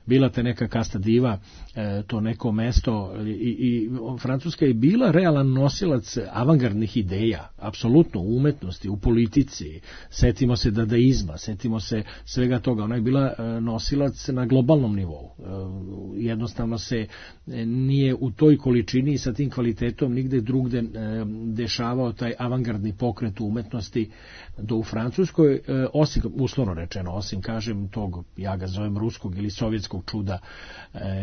bila te neka kasta diva, e, to neko mesto i, i Francuska je bila realan nosilac avangardnih ideja, apsolutno u umetnosti, u politici, setimo se dadaizma, setimo se svega toga, ona je bila nosilac na globalnom nivou. E, jednostavno se nije u toj količini i sa tim kvalitetom nigde drugde dešavao taj avangardni pokret u umetnosti do u Francuskoj, osim, uslovno rečeno, osim, kažem, tog, ja ga zovem ruskog ili sovjetskog čuda,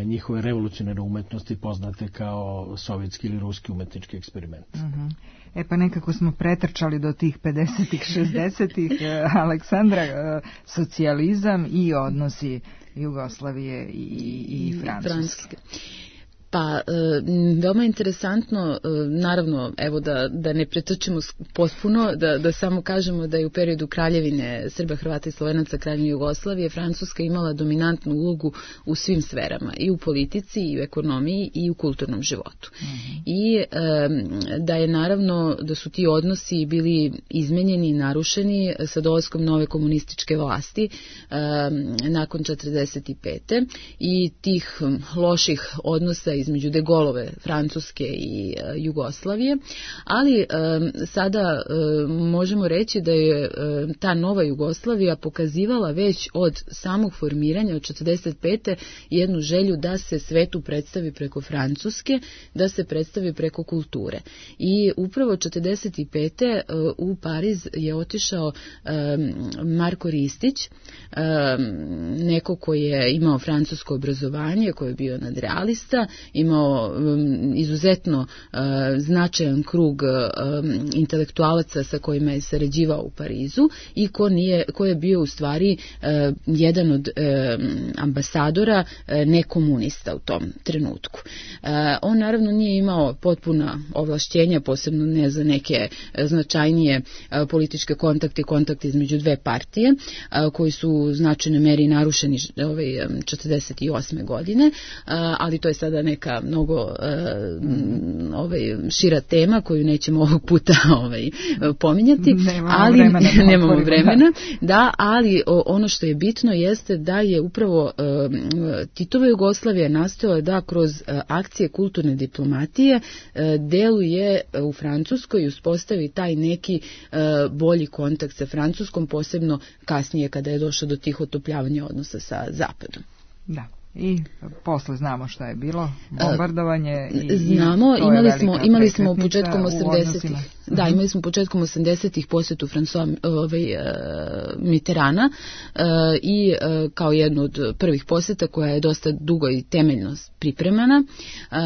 njihove revolucionarne umetnosti poznate kao sovjetski ili ruski umetnički eksperiment. Uh-huh. E pa nekako smo pretrčali do tih pedesetih, šezdesetih, Aleksandra, socijalizam i odnosi Jugoslavije i, i Francuske. Francuske. Pa, e, veoma interesantno, e, naravno, evo da, da ne pretrčimo potpuno, da, da samo kažemo da je u periodu kraljevine Srba, Hrvata i Slovenaca, kraljevine Jugoslavije, Francuska imala dominantnu ulogu u svim sferama, i u politici, i u ekonomiji, i u kulturnom životu. Mm-hmm. I e, da je naravno, da su ti odnosi bili izmenjeni i narušeni sa dolaskom nove komunističke vlasti e, nakon četrdeset pete i tih loših odnosa između De Gaulleove Francuske i e, Jugoslavije, ali e, sada e, možemo reći da je e, ta nova Jugoslavija pokazivala već od samog formiranja od četrdeset pete jednu želju da se svetu predstavi preko Francuske, da se predstavi preko kulture. I upravo četrdeset pete e, u Pariz je otišao e, Marko Ristić, e, neko koji je imao francusko obrazovanje, koji je bio nadrealista, imao um, izuzetno uh, značajan krug um, intelektualaca sa kojima je sarađivao u Parizu i ko, nije, ko je bio u stvari uh, jedan od um, ambasadora uh, nekomunista u tom trenutku. Uh, on naravno nije imao potpuna ovlašćenja, posebno ne za neke značajnije uh, političke kontakte, kontakte između dve partije uh, koji su u značajnoj meri narušeni ovaj, četrdeset osme godine, uh, ali to je sada neka mnogo uh, ovaj, šira tema koju nećemo ovog puta ovaj, pominjati, nemamo ali vremena, nemamo vremena da, ali o, ono što je bitno jeste da je upravo uh, Titova Jugoslavija nastojala da kroz uh, akcije kulturne diplomatije uh, deluje u Francuskoj i uspostavi taj neki uh, bolji kontakt sa Francuskom, posebno kasnije kada je došlo do tih otopljavanja odnosa sa Zapadom. Da. I posle znamo šta je bilo, bombardovanje. I, znamo, i imali smo, imali smo početkom osamdesetih. Da, imali smo početkom osamdesetih posjetu François ovaj, uh, Mitterranda uh, i uh, kao jednu od prvih posjeta koja je dosta dugo i temeljno pripremana uh,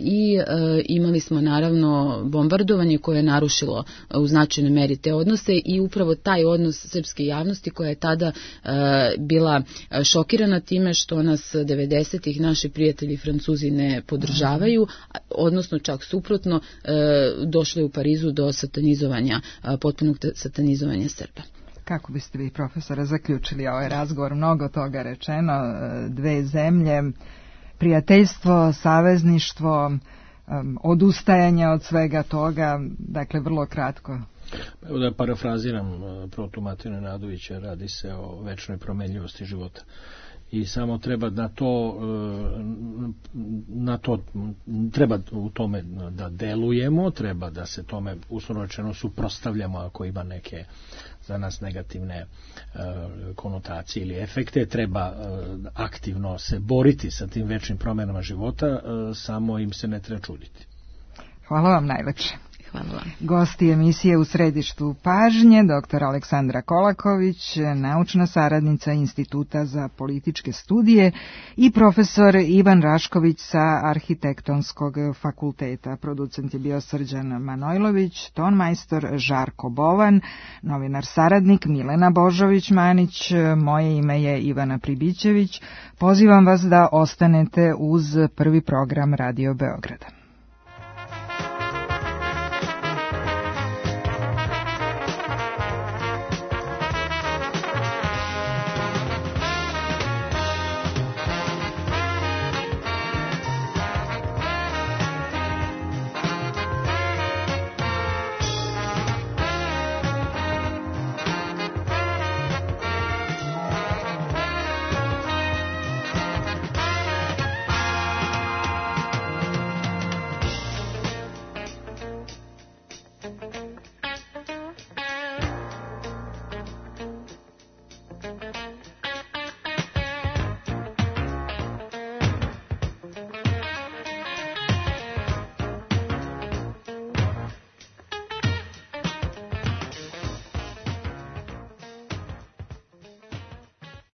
i uh, imali smo naravno bombardovanje koje je narušilo uh, u značajnoj meri te odnose i upravo taj odnos srpske javnosti koja je tada uh, bila šokirana time što nas devedesetih naši prijatelji Francuzi ne podržavaju, odnosno čak suprotno uh, došli u Parizu do satanizovanja, potpunog satanizovanja Srba. Kako biste vi, profesora, zaključili ovaj razgovor? Mnogo toga rečeno, dve zemlje, prijateljstvo, savezništvo, odustajanje od svega toga, dakle vrlo kratko. Evo da parafraziram protumateru Nenadovića, radi se o večnoj promenljivosti života. I samo treba na to, na to treba u tome da delujemo, treba da se tome uslovno rečeno suprotstavljamo ako ima neke za nas negativne konotacije ili efekte, treba aktivno se boriti sa tim večnim promenama života, samo im se ne treba čuditi. Hvala vam najlepše. Hvala vam. Gosti emisije U središtu pažnje, doktor Aleksandra Kolaković, naučna saradnica Instituta za političke studije i profesor Ivan Rašković sa Arhitektonskog fakulteta. Producent je bio Srđan Manojlović, tonmajstor Žarko Bovan, novinar saradnik Milena Božović-Manić, moje ime je Ivana Pribićević. Pozivam vas da ostanete uz prvi program Radio Beograda.